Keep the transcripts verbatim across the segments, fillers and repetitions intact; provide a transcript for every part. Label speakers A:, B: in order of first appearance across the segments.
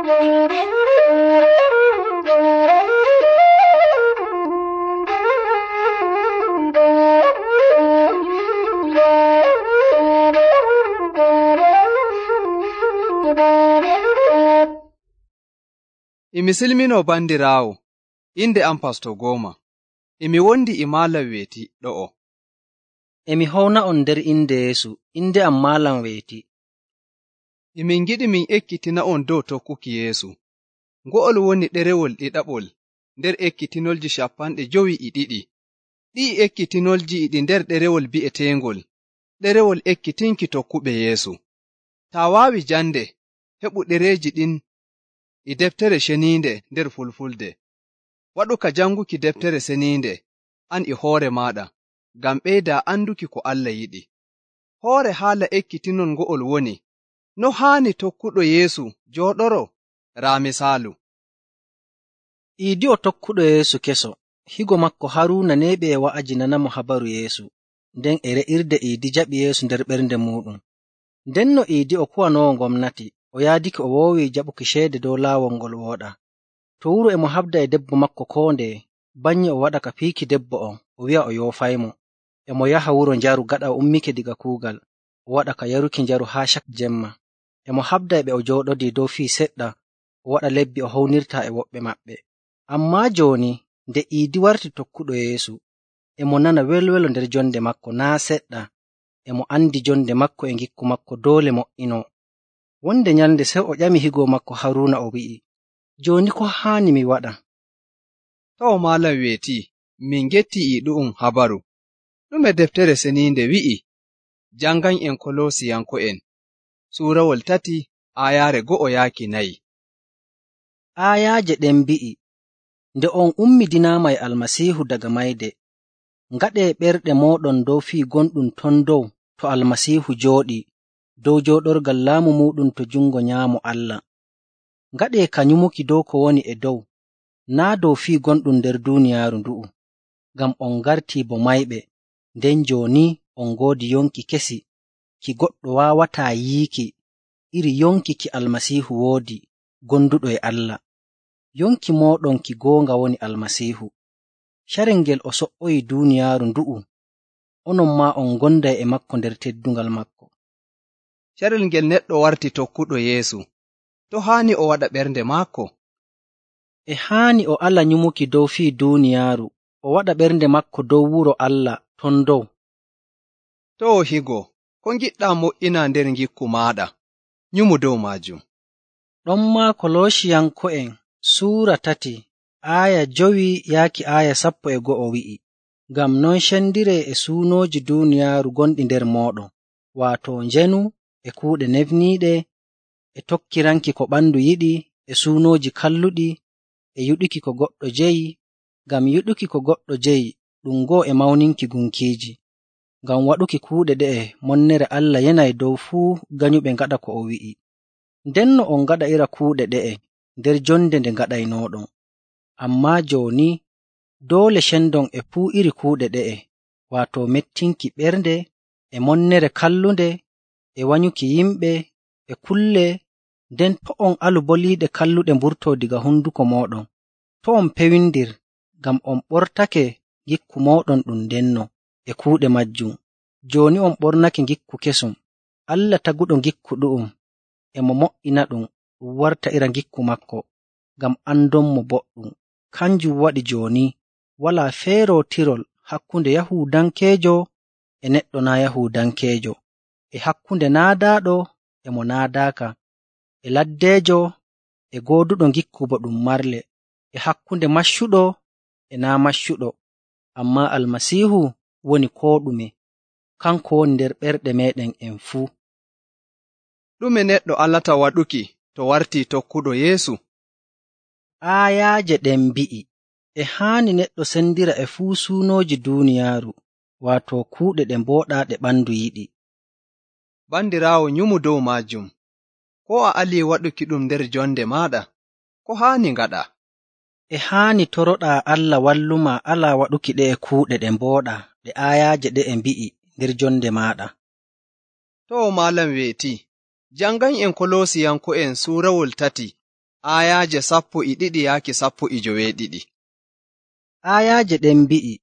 A: Imi silmino bandiraawo, inde am Pasto Gooma. Imi wondi e Maalam Weeti ɗo'o.
B: Emi howna on nder inde Yeesu, inde am Maalam Weeti.
A: Emin ngiɗi min ekkitina'on dow tokkuki Yeesu. Ngo'ol woni ɗerewol ɗiɗaɓol nder ekkitinolji cappanɗe jowi e ɗiɗi. Ɗi'i ekkitinolji e ɗi nder ɗerewol bi'eteengol ɗerewol ekkitinki tokkuɓe Yeesu. Taa waawi jande, heɓu ɗereeji ɗin e deftere ceniinde nder Fulfulde. Waɗu ka janguki deftere ceniinde an e hoore maaɗa, ngam ɓeydaa anduki ko Allah yiɗi. Hoore haala ekkitinol ngo'ol woni, no haani tokkuɗo Yeesu jooɗoro? Raa misaalu.
B: Iidi o tokkuɗo Yeesu keso, higo makko Haruuna neeɓi e wa'aji nanamo habaru Yeesu, nden e re'irde Iidi jaɓi Yeesu nder ɓernde muuɗum. Ndenno Iidi o kuwanoowo gomnati, o yaadiki o woowi jaɓuki ceede dow laawol ngol wooɗa. To wuro e mo habda e debbo makko koo ndeye, bannye o waɗa ka fiiki debbo on, o wi'a o yoofaymo. E mo yaha wuro njaru gaɗa o ummike diga kuugal, o waɗa ka yaruki njaru haa cak jemma. E mo habda e ɓe o jooɗodii dow fii seɗɗa, o waɗa lebbi o hownirtaa e woɓɓe maɓɓe. Ammaa jooni, nde Iidi warti tokkuɗo Yeesu, e mo nana welwelo nder jonde makko naa' seɗɗa, e mo andi jonde makko e ngikku makko doole mo'inoo. Wonde nyalnde sey o ƴami higo makko Haruuna o wi'i, jooni ko haani mi waɗa?
A: Tawo Maalam Weeti, min ngetti e ɗu'um habaru. Ɗume deftere ceniinde wi'i? Jangan en Kolosiyanko'en, suurawol tati, aayaare go'o yaaki nayi.
B: Aayaaje ɗen mbi'i, nde on ummidinaama e Almasiihu daga mayde, ngaɗee ɓerɗe mooɗon dow fii gonɗum ton dow to Almasiihu jooɗii, dow jooɗorgal laamu muuɗum to jungo nyaamo Allah. Ngaɗee ka nyumuki dow ko woni e dow, naa' dow fii gonɗum nder duuniyaaru ndu'u, ngam on ngartii bo mayɓe, nden jooni on ngoodi yonki kesi ki goɗɗo waawataa yiiki, iri yonki ki Almasiihu woodi, gonduɗo e Allah. Yonki mooɗon ki goonga woni Almasiihu. Carel ngel o so''oyi duuniyaaru ndu'u, onon maa on ngonday e makko nder teddungal makko.
A: Carel ngel neɗɗo warti tokkuɗo Yeesu, to haani o waɗa ɓernde maako?
B: E haani o ala nyumuki dow fii duuniyaaru, o waɗa ɓernde makko dow wuro Allah ton dow.
A: To higo, ko ngiɗɗaa mo'ina nder ngikku maaɗa, nyumu dow maajum.
B: Ɗon maa Kolosiyanko'en Suura tati, aaya jowi yaaki aaya sappo e go'o wi'i, ngam non cendiree e suunooji duuniyaaru gonɗi nder mooɗon, waato njenu e kuuɗe nefniiɗe, e tokkiranki ko ɓandu yiɗi, e suunooji kalluɗi, e yuɗuki ko goɗɗo jeyi, ngam yuɗuki ko goɗɗo jeyi ɗum go'o e mawninki gunkiiji. Ngam waɗuki kuuɗe ɗe'e monnere Allah yenay dow fuu ganyuɓe ngaɗa ko o wi'i. Ndenno on ngaɗa'ira kuuɗe ɗe'e nder jonde nde ngaɗaynooɗon. Ammaa jooni doole cendon e fuu iri kuuɗe ɗe'e, waato mettinki ɓernde, e monnere kallunde, e wanyuki yimɓe, e kulle, nden to on alu boliiɗe kalluɗe mburtoo diga hunduko mooɗon. To on pewindir, ngam on ɓortake ngikku mooɗon ɗum ndenno e kuuɗe majjum. Jooni on ɓornake ngikku kesum. Allah taguɗo ngikku ɗu'um, e mo mo'ina ɗum ɗum warta ira ngikku makko, ngam andonmo boɗɗum. Kanjum waɗi jooni walaa feerootirol hakkunde Yahuudankeejo e neɗɗo naa' Yahuudankeejo, e hakkunde naadaaɗo e mo naadaaka, e laddeejo e gooduɗo ngikku bo ɗum marle, e hakkunde maccuɗo e naa' maccuɗo, ammaa Almasiihu woni koo ɗume, kanko woni nder ɓerɗe meeɗen en fuu.
A: Ɗume neɗɗo alata waɗuki to wartii tokkuɗo Yeesu?
B: Aayaaje ɗen mbi'i, e haani neɗɗo sendira e fuu suunooji duuniyaaru, waato kuuɗe ɗe mbooɗaa ɗe ɓandu yiɗi.
A: Bandiraawo, nyumu dow maajum. Ko a alii waɗuki ɗum nder jonde maaɗa, ko haani ngaɗa?
B: E haani toroɗaa Allah walluma alaa waɗuki ɗe e kuuɗe ɗe mbooɗaa ɗe aayaaje ɗe e mbi'i nder jonde maaɗa.
A: To Maalam Weeti, jangan en Kolosiyanko'en suurawol tati, aayaaje sappo e ɗiɗi yaaki sappo e joweeɗiɗi.
B: Aayaaje ɗen mbi'i,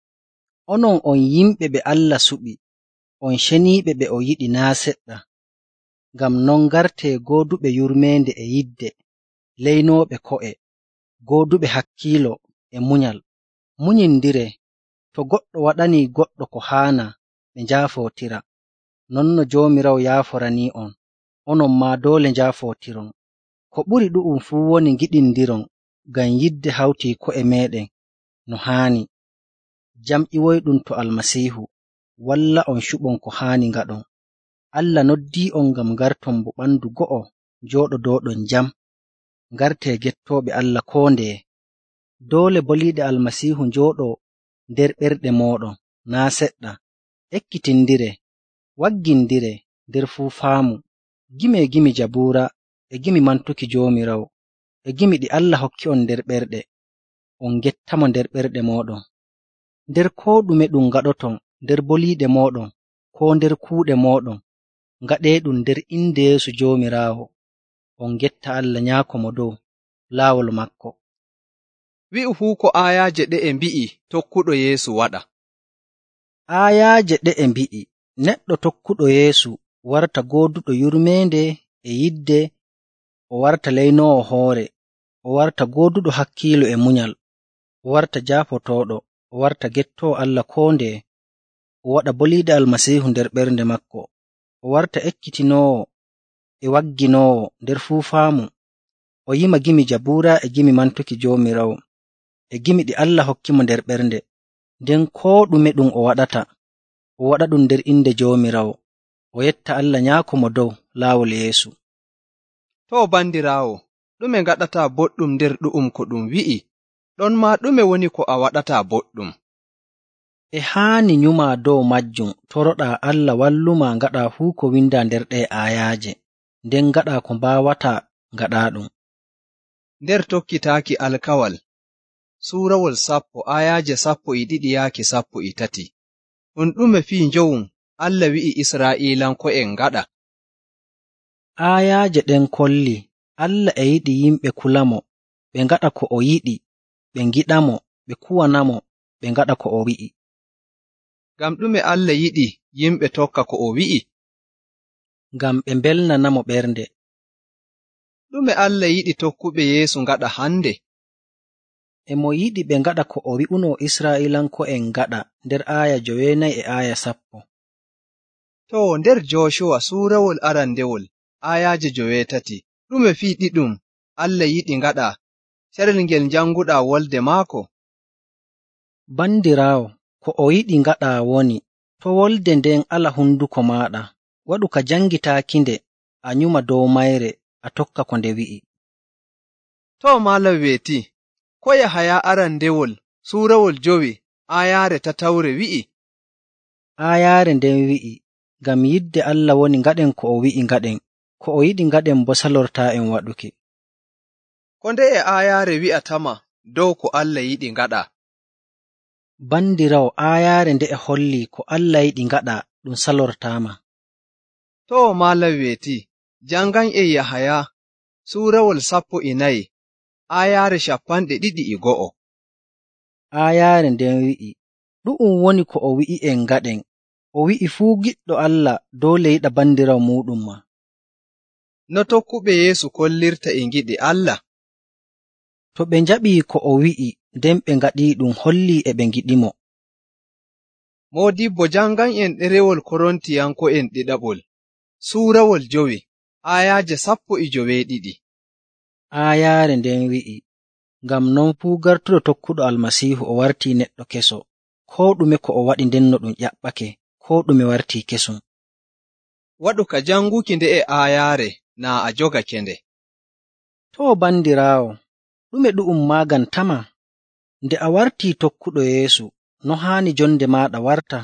B: onon on yimɓe ɓe Allah suɓi, on ceniiɓe ɓe o yiɗi naa' seɗɗa. Ngam non ngartee gooduɓe yurmeende e yidde, leynooɓe ko'e, gooduɓe hakkiilo e munyal. Munyindiree, to goɗɗo waɗanii goɗɗo ko haana ɓe njaafootira, non no Joomiraawo yaaforanii'on, onon maa doole njaafootiron. Ko ɓuri ɗu'um fuu woni ngiɗindiron ngam yidde hawtii ko'e meeɗen no haani. Jam ƴiwoyɗum to Almasiihu walla'on cuɓon ko haani ngaɗon. Allah noddii'on ngam ngarton bo ɓandu go'o njooɗodooɗon jam. Ngartee gettooɓe Allah koo ndeye. Doole boliiɗe Almasiihu njooɗoo nder ɓerɗe mooɗon naa' seɗɗa. Ekkitindiree, waggindiree nder fuu faamu, gimi e gimi Jabuura e gimi mantuki Joomiraawo e gimi ɗi Allah hokki'on nder ɓerɗe. On gettamo nder ɓerɗe mooɗon. Nder koo ɗume ɗum ngaɗoton, nder boliiɗe mooɗon koo nder kuuɗe mooɗon, ngaɗeeɗum nder inde Yeesu Joomiraawo. On getta Allah Nyaako Mo Dow laawol maako.
A: Wi'u fuu ko aayaaje ɗe'e mbi'i tokkuɗo Yeesu waɗa.
B: Aayaaje ɗe'e mbi'i neɗɗo tokkuɗo Yeesu warta gooduɗo yurmeende e yidde, o warta leynoowo hoore, o warta gooduɗo hakkiilo e munyal, o warta jaafotooɗo, o warta gettoowo Allah koo ndeye, o waɗa boliiɗe Almasiihu nder ɓernde maako, o warta ekkitinoowo e wagginoowo nder fuu faamu, o yima gimi Jabuura e gimi mantuki Joomiraawo e gimi ɗi Allah hokkimo nder ɓernde, nden koo ɗume ɗum o waɗata, o waɗa ɗum nder inde Joomiraawo, o yetta Allah Nyaako Mo Dow laawol Yeesu.
A: To bandiraawo, ɗume ngaɗataa boɗɗum nder ɗu'um ko ɗum wi'i, ɗon maa ɗume woni ko a waɗataa boɗɗum?
B: E haani nyumaa dow majjum, toroɗaa Allah wallumaa ngaɗaa fuu ko windaa nder ɗee aayaaje, nden ngaɗaa ko mbaawataa ngaɗaaɗum.
A: Nder tokkitaaki alkawal, suurawol sappo aayaaje sappo e ɗiɗi yaaki sappo e tati, ɗum ɗume fii njowum Allah wi'i Israa'iilanko'en ngaɗa?
B: Aayaaje ɗen kolli Allah e yiɗi yimɓe kulamo, ɓe ngaɗa ko o yiɗi, ɓe ngiɗamo, ɓe kuwanamo, ɓe ngaɗa ko o wi'i.
A: Ngam ɗume Allah yiɗi yimɓe tokka ko o wi'i?
B: Ngam ɓe mbelnanamo ɓernde.
A: Ɗume Allah yiɗi tokkuɓe Yeesu ngaɗa hande?
B: E mo yiɗi ɓe ngaɗa ko o wi'unoo Israa'iilanko'en ngaɗa nder aaya joweenayi e aaya sappo.
A: To nder Jooshuwa suurawol arandewol aayaaje joweetati, ɗume fii ɗiɗum Allah yiɗi ngaɗa carel ngel njanguɗaa wolde maako?
B: Bandiraawo, ko o yiɗi ngaɗaa woni, to wolde nden ala hunduko maaɗa, waɗu ka jangitaakinde, a nyuma dow mayre, a tokka ko nde wi'i.
A: To maalam weeti, ko Yahaya arandewol suurawol jowi aayaare tatawre wi'i?
B: Aayaare nden wi'i, ngam yidde Allah woni ngaɗen ko o wi'i ngaɗen, ko o yiɗi ngaɗen bo salortaa'en waɗuki.
A: Ko ndeye aayaare wi'atama dow ko Allah yiɗi ngaɗa?
B: Bandirawo, aayaare nde'e holli ko Allah yiɗi ngaɗa ɗum salortaama.
A: To maalam weeti, jangan e Yahaya suurawol sappo e nayi aayaare cappanɗe ɗiɗi e go'o.
B: Aayaare nden wi'i, ɗu'um woni ko o wi'i'en ngaɗen, o wi'i fuu giɗɗo Allah doole yiɗa bandirawo muuɗum ma.
A: No tokkuɓe Yeesu kollirta e ngiɗi Allah?
B: To ɓe njaɓii ko o wi'i nden ɓe ngaɗiiɗum hollii e ɓe ngiɗimo.
A: Moodibbo jangan en ɗerewol Korontiyanko'en ɗiɗaɓol suurawol jowi aayaaje sappo e joweeɗiɗi.
B: Aayaare nden wi'i, ngam non fuu gartuɗo tokkuɗo Almasiihu o wartii neɗɗo keso, koo ɗume ko o waɗi ndenno ɗum ƴaɓɓake, koo ɗume wartii kesum.
A: Waɗu ka janguki nde'e aayaare naa a jogake nde.
B: To bandiraawo, ɗume ɗu'um maagantama? Nde a wartii tokkuɗo Yeesu, no haani jonde maaɗa warta?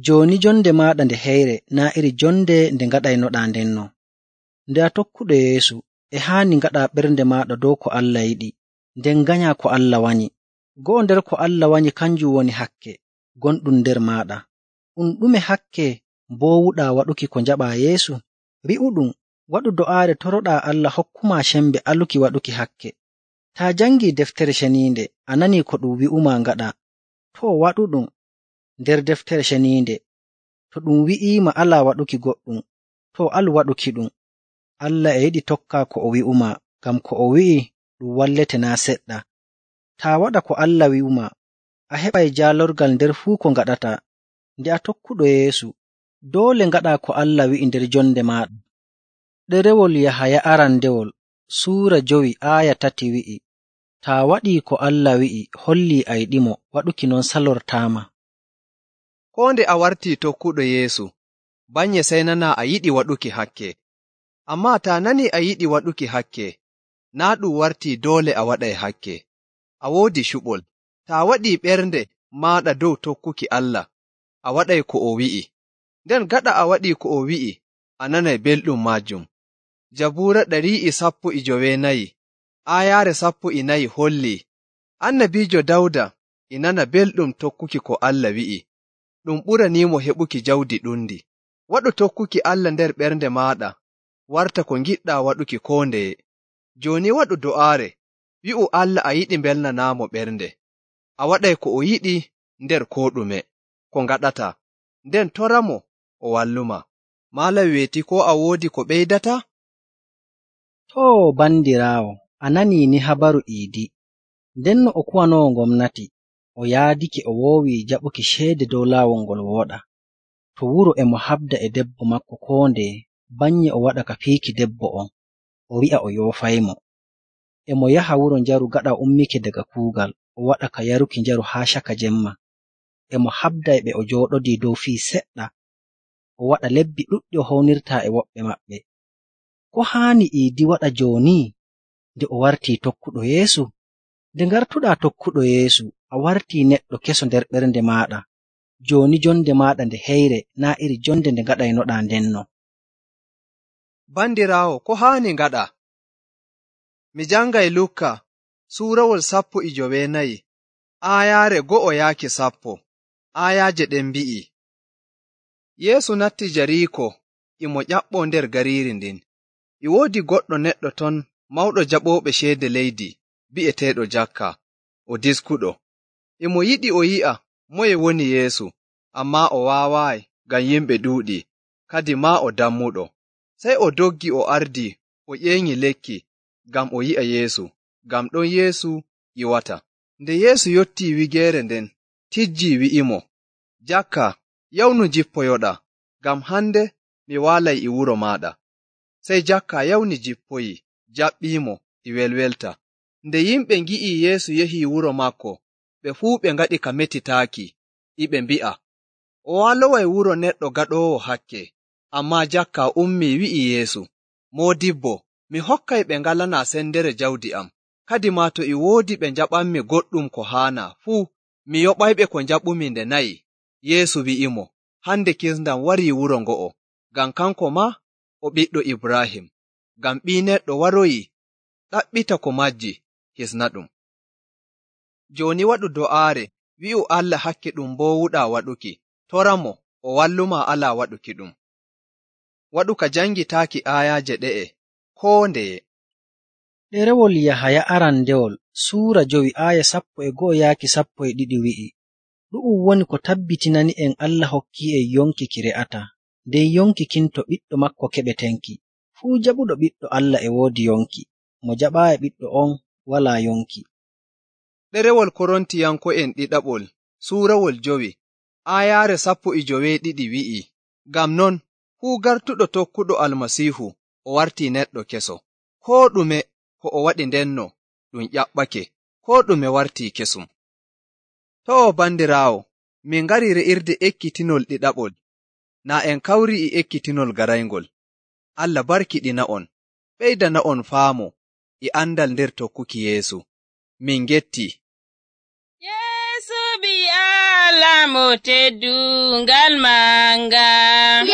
B: Jooni jonde maaɗa nde heyre naa iri jonde nde ngaɗaynoɗaa ndenno. Nde a tokkuɗo Yeesu, e haani ngaɗaa ɓernde maaɗa dow ko Allah yiɗi, nden nganyaa ko Allah wanyi. Go'o nder ko Allah wanyi kanjum woni hakke gonɗum nder maaɗa. Ɗum ɗume hakke mboowuɗaa waɗuki ko njaɓaa Yeesu? Wi'uɗum, waɗu do'aare toroɗaa Allah hokkuma cembe aluki waɗuki hakke. Taa jangii deftere ceniinde a nanii ko ɗum wi'umaa ngaɗa, to waɗuɗum nder deftere ceniinde. To ɗum wi'iima alaa waɗuki goɗɗum, to alu waɗuki ɗum. Allah e yiɗi tokkaa ko o wi'umaa, ngam ko o wi'i ɗum wallete naa seɗɗa. Taa waɗa ko Allah wi'umaa, a heɓay jaalorgal nder fuu ko ngaɗataa. Nde a tokkuɗo Yeesu, doole ngaɗaa ko Allah wi'i nder jonde maaɗa. Ɗerewol Yahaya arandewol suura jowi aaya tati wi'i, taa waɗii ko Allah wi'i hollii a yiɗimo, waɗuki non salortaama.
A: Koo nde a wartii tokkuɗo Yeesu, banye sey nanaa a yiɗi waɗuki hakke. Ammaa taa nanii a yiɗi waɗuki hakke, naa ɗum wartii doole a waɗay hakke. A woodi cuɓol, taa waɗii ɓernde maaɗa dow tokkuki Allah, a waɗay ko o wi'i. Nden gaɗa a waɗii ko o wi'i, a nanay belɗum maajum. Jabuura ɗari e sappo e joweenayi, aayaare sappo e nayi hollii, annabiijo Dawda e nana belɗum tokkuki ko Allah wi'i, ɗum ɓuraniimo heɓuki jawdi ɗundi. Waɗu tokkuki Allah nder ɓernde maaɗa, warta ko ngiɗɗaa waɗuki koo ndeye. Jooni waɗu do'aare, wi'u Allah a yiɗi mbelnanaamo ɓernde. A waɗay ko o yiɗi nder koo ɗume, ko ngaɗataa, nden toramo o walluma. Maala weeti koo a woodi ko ɓeydata?
B: Too bandiraawo, a nanii ni habaru Iidi. Ndenno o kuwanoowo gomnati, o yaadike o woowi jaɓuki ceede dow laawol ngol wooɗa. To wuro e mo habda e debbo makko koo ndeye, banye o waɗa ka fiiki debbo on, o wi'a o yoofaymo. E mo yaha wuro njaru gaɗa o ummike daga kuugal, o waɗa ka yaruki njaru haa caka jemma. E mo habda e ɓe o jooɗodii dow fii seɗɗa, o waɗa lebbi ɗuɗɗi o hownirtaa e woɓɓe maɓɓe. Ko haani Iidi waɗa jooni nde o wartii tokkuɗo Yeesu? Nde ngartuɗaa tokkuɗo Yeesu, a wartii neɗɗo keso nder ɓernde maaɗa. Jooni jonde maaɗa nde heyre naa iri jonde nde ngaɗaynoɗaa ndenno.
A: Bandiraawo, ko haani ngaɗa? Mi jangay Lukka suurawol sappo e joweenayi, aayaare go'o yaaki sappo. Aayaaje ɗen mbi'i, Yeesu natti Jariiko, e mo ƴaɓɓoo nder gariiri ndin. E woodi goɗɗo neɗɗo ton mawɗo jaɓooɓe ceede leydi, bi'eteeɗo Jakka, o diskuɗo. E mo yiɗi o yi'a moye woni Yeesu, ammaa o waawaayi ngam yimɓe ɗuuɗi, kadi maa o dammuɗo. Sey o doggi o ardi o ƴeeŋi lekki ngam o yi'a Yeesu, ngam ɗon Yeesu yiwata. Nde Yeesu yottii wigeere nden, tijjii wi'imo, Jakka, yawnu jippoyoɗa, ngam hande mi waalay e wuro maaɗa. Sey Jakka yawni jippoyi, jaɓɓiimo e welwelta. Nde yimɓe ngi'ii Yeesu yahii wuro maako, ɓe fuu ɓe ngaɗi ka metitaaki, e ɓe mbi'a, o waaloway wuro neɗɗo gaɗoowo hakke. Ammaa Jakka ummii wi'i Yeesu, Moodibbo, mi hokkay ɓe ngalanaa sendere jawdi am, kadi maa to e woodi ɓe njaɓanmi goɗɗum ko haana fuu, mi yoɓayɓe ko njaɓumi nde nayi. Yeesu wi'imo, hande kisndam warii wuro ngo'o, ngam kanko maa o ɓiɗɗo Ibraahim, ngam Ɓii Neɗɗo waroyi ɗaɓɓita ko majji hisna ɗum. Jooni waɗu do'aare, wi'u Allah hakke ɗum mboowuɗaa waɗuki, toramo o walluma alaa waɗuki ɗum. Waɗu ka jangitaaki aayaaje ɗe'e koo ndeye.
B: Ɗerewol Yahaya arandewol suura jowi aaya sappo e go'o yaaki sappo e ɗiɗi wi'i, ɗu'um woni ko tabbitinani en Allah hokki'en yonki ki re'ataa, nden yonki kin to ɓiɗɗo makko keɓetenki. Fuu jaɓuɗo ɓiɗɗo Allah e woodi yonki, mo jaɓaayi ɓiɗɗo on walaa yonki.
A: Ɗerewol Korontiyanko'en ɗiɗaɓol suurawol jowi aayaare sappo e joweeɗiɗi wi'i, ngam non fuu gartuɗo tokkuɗo Almasiihu o wartii neɗɗo keso. Koo ɗume ko o waɗi ndenno ɗum ƴaɓɓake, koo ɗume wartii kesum. To o bandiraawo, min ngari re'irde ekkitinol ɗiɗaɓol, naa en kawri e ekkitinol garayngol. Allah barkiɗina on, ɓeydana on faamo e andal nder tokkuki Yeesu. Min getti.
C: Yeesu bi Allah mo teddungal manga.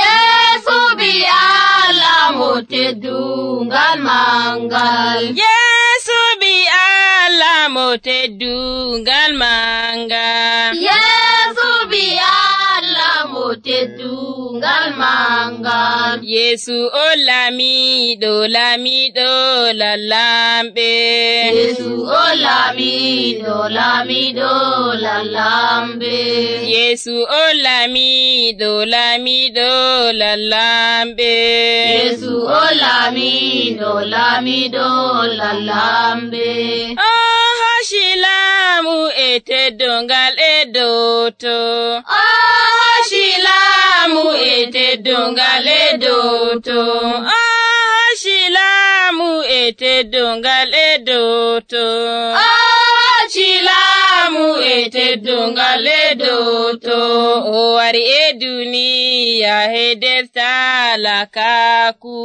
D: Yeesu bi Allah mo teddungal mangal.
C: Yeesu bi Allah mo teddungal manga.
D: Yeesu bi Allah mo teddungal ngal mangal.
C: Yesu o laamiɗo laamiɗo lallamɓe.
D: Yesu o laamiɗo laamiɗo lallamɓe.
C: Yesu o laamiɗo laamiɗo lallamɓe.
D: Yesu o laamiɗo laamiɗo lallamɓe.
C: O hoshi laamu e teddongal e dow to.
D: O hoshi laamu e teddongal e dow to.
C: O hoshi laamu e teddongal e dow to.
D: O hoshi laamu e teddongal e dow to.
C: O wari e duniya he nder talakaku.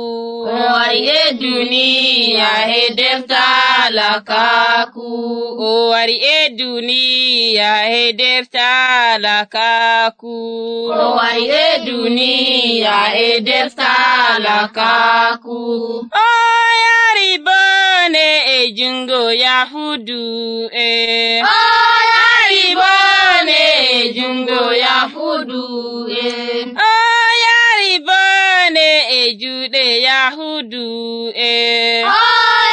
D: O wari e duniya he nder talakaku.
C: O wari e duniya he nder talakaku.
D: O wari e duniya he nder talakaku.
C: O yari bone e jungo Yahudu e.
D: O yari bone e jungo Yahudu e.
C: O yari bone e juuɗe Yahudu e.
D: O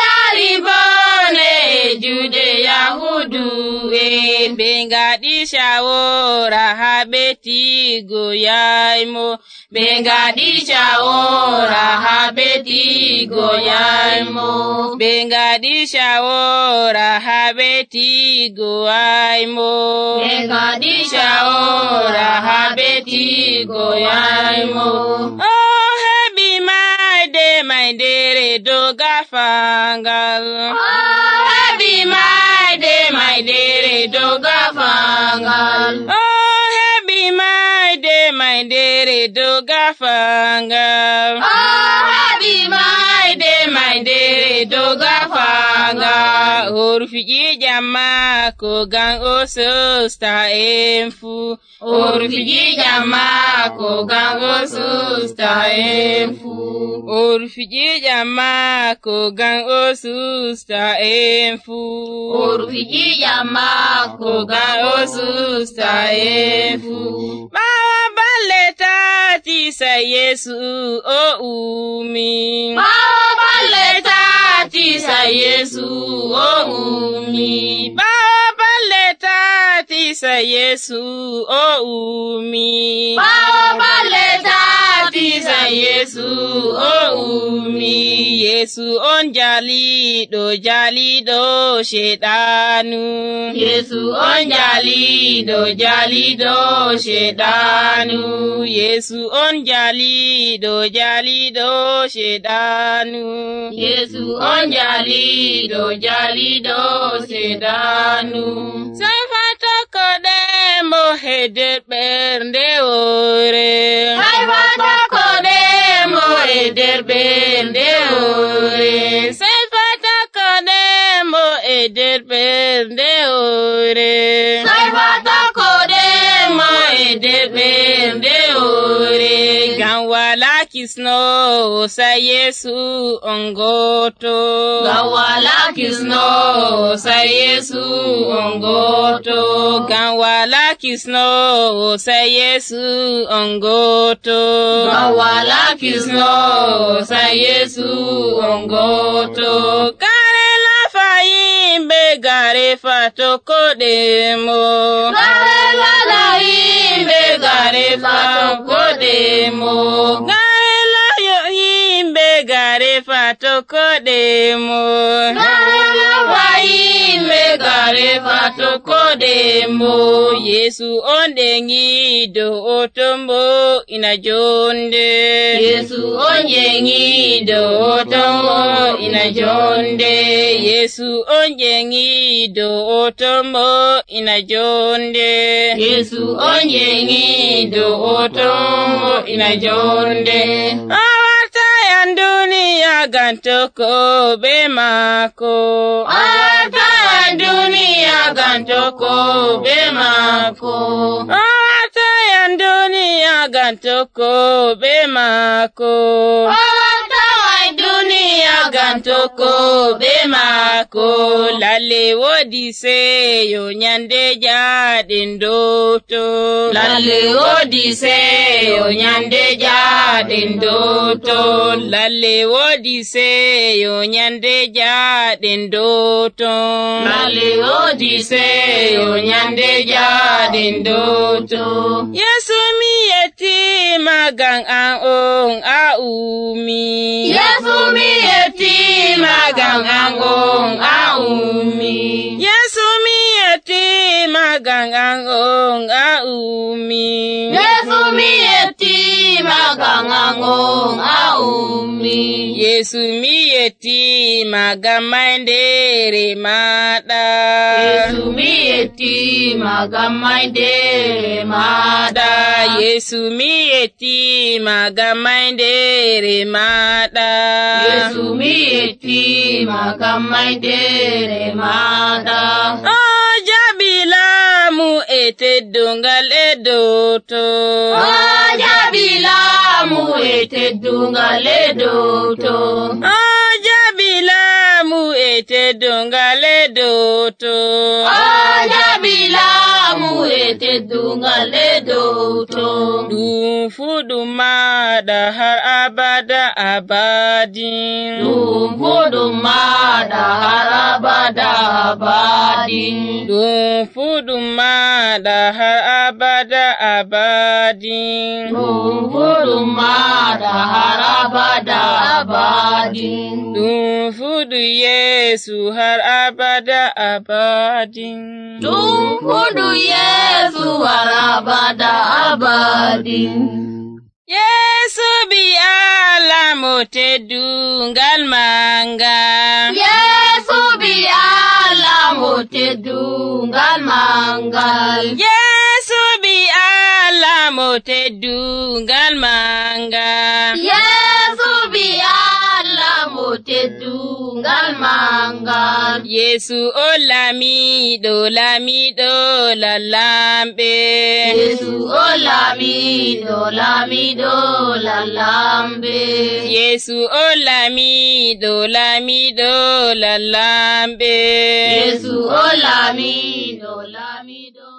D: yari bone e juuɗe Yahudu e.
C: Ɓe ngaɗi shawora haa ɓe tigoyaymo.
D: Ɓe ngaɗi shawora haa ɓe tigoyaymo.
C: Ɓe ngaɗi shawora haa ɓe tigoyaymo.
D: Ɓe ngaɗi shawora haa ɓe tigoyaymo.
C: O heɓi mayde maydere dow gafangal.
D: O heɓi mayde maydere dow gafangal.
C: O heɓi mayde maydere dow gafangal.
D: O heɓi mayde maydere dow gafangal.
C: O rufi ƴiƴam maako ngam o sosta en fuu.
D: O rufi ƴiƴam maako ngam o sosta en fuu.
C: O rufi ƴiƴam maako ngam o sosta en fuu.
D: O rufi ƴiƴam maako ngam o sosta en fuu.
C: Ɓaawo balɗe tati sai Yesu o ummi.
D: Ɓaawo balɗe tati sai Yesu o ummi.
C: Ɓaawo balɗe tati sai Yesu o ummi.
D: Ɓaawo balɗe tati sai Yesu o ummi.
C: Yesu on jaliɗo jaliɗo sheɗanu.
D: Yesu on jaliɗo jaliɗo sheɗanu.
C: Yesu on jaliɗo jaliɗo sheɗanu.
D: Yesu on jaliɗo jaliɗo sheɗanu.
C: Sai fatokoɗemo he nder ɓernde woore.
D: Sai fatokoɗemo he nder ɓernde woore.
C: Sai fatokoɗemo e nder ɓernde woore.
D: Sai fatokoɗemo e nder ɓernde woore.
C: Ngam wala kisnowo sai Yesu on goto.
D: Ngam wala kisnowo sai Yesu on goto.
C: Ngam wala kisnowo sai Yesu on goto.
D: Ngam wala kisnowo sai Yesu on goto.
C: Gare lafa yimɓe gare fatokoɗemo.
D: Gare lafa yimɓe gare fatokoɗemo.
C: Gare layo yimɓe gare fatokoɗemo.
D: Gare lafa yimɓe gare fatokoɗemo.
C: Yesu on ɗeŋiɗo o tombo ina jonde.
D: Yesu on ƴeŋiɗo o tombo ina jonde.
C: Yesu on ƴeŋiɗo o tombo ina jonde.
D: Yesu on ƴeŋiɗo o tombo ina jonde.
C: Awatayan duniya ngam tokko be maako.
D: Awatayan duniya ngam tokko be maako.
C: Awatayan duniya ngam tokko be maako.
D: Awatayan duniya
C: yagan tokkoɓe maako. Lalle woodi seyo nyande jaaɗen dowto.
D: Lalle woodi seyo nyande jaaɗen dowto.
C: Lalle woodi seyo nyande jaaɗen dowto.
D: Lalle woodi seyo nyande jaaɗen dowto.
C: Yesu mi yettima ngam an on a ummi.
D: Yesu mi yettima ngam an on a ummi.
C: Yesu mi yettima ngam an on a ummi.
D: Yesu mi yettima ngam an on a ummi.
C: Yesu mi yettima ngam maydere maɗa.
D: Yesu mi yettima ngam maydere maɗa.
C: Yesu mi yettima ngam maydere maɗa.
D: Yesu mi yettima ngam maydere maɗa.
C: O jaɓi laamu e teddungal e dowto.
D: O jaɓi laamu e teddungal e dowto.
C: O jaɓi laamu e teddungal e dowto.
D: O jaɓi laamu e teddungal e dowto.
C: Ɗum fu ɗum maɗa har abada abadin.
D: Ɗum fu ɗum maɗa har abada abadin.
C: Ɗum fu ɗum maɗa har abada abadin.
D: Ɗum fu ɗum maɗa har abada abadin.
C: Ɗum fu ɗum Yesu har abada abadin.
D: Ɗum fu ɗum Yesu har abada abadin.
C: Yesu bi Allah mo teddungal manga.
D: Yesu bi Allah mo teddungal mangal.
C: Yesu bi Allah mo teddungal manga.
D: Yesu bi Allah mo teddungal mangal.
C: Yesu o lamiɗo lamiɗo lalamɓe.
D: Yesu o lamiɗo lamiɗo lalamɓe.
C: Yesu o lamiɗo lamiɗo lalamɓe.
D: Yesu o lamiɗo lamiɗo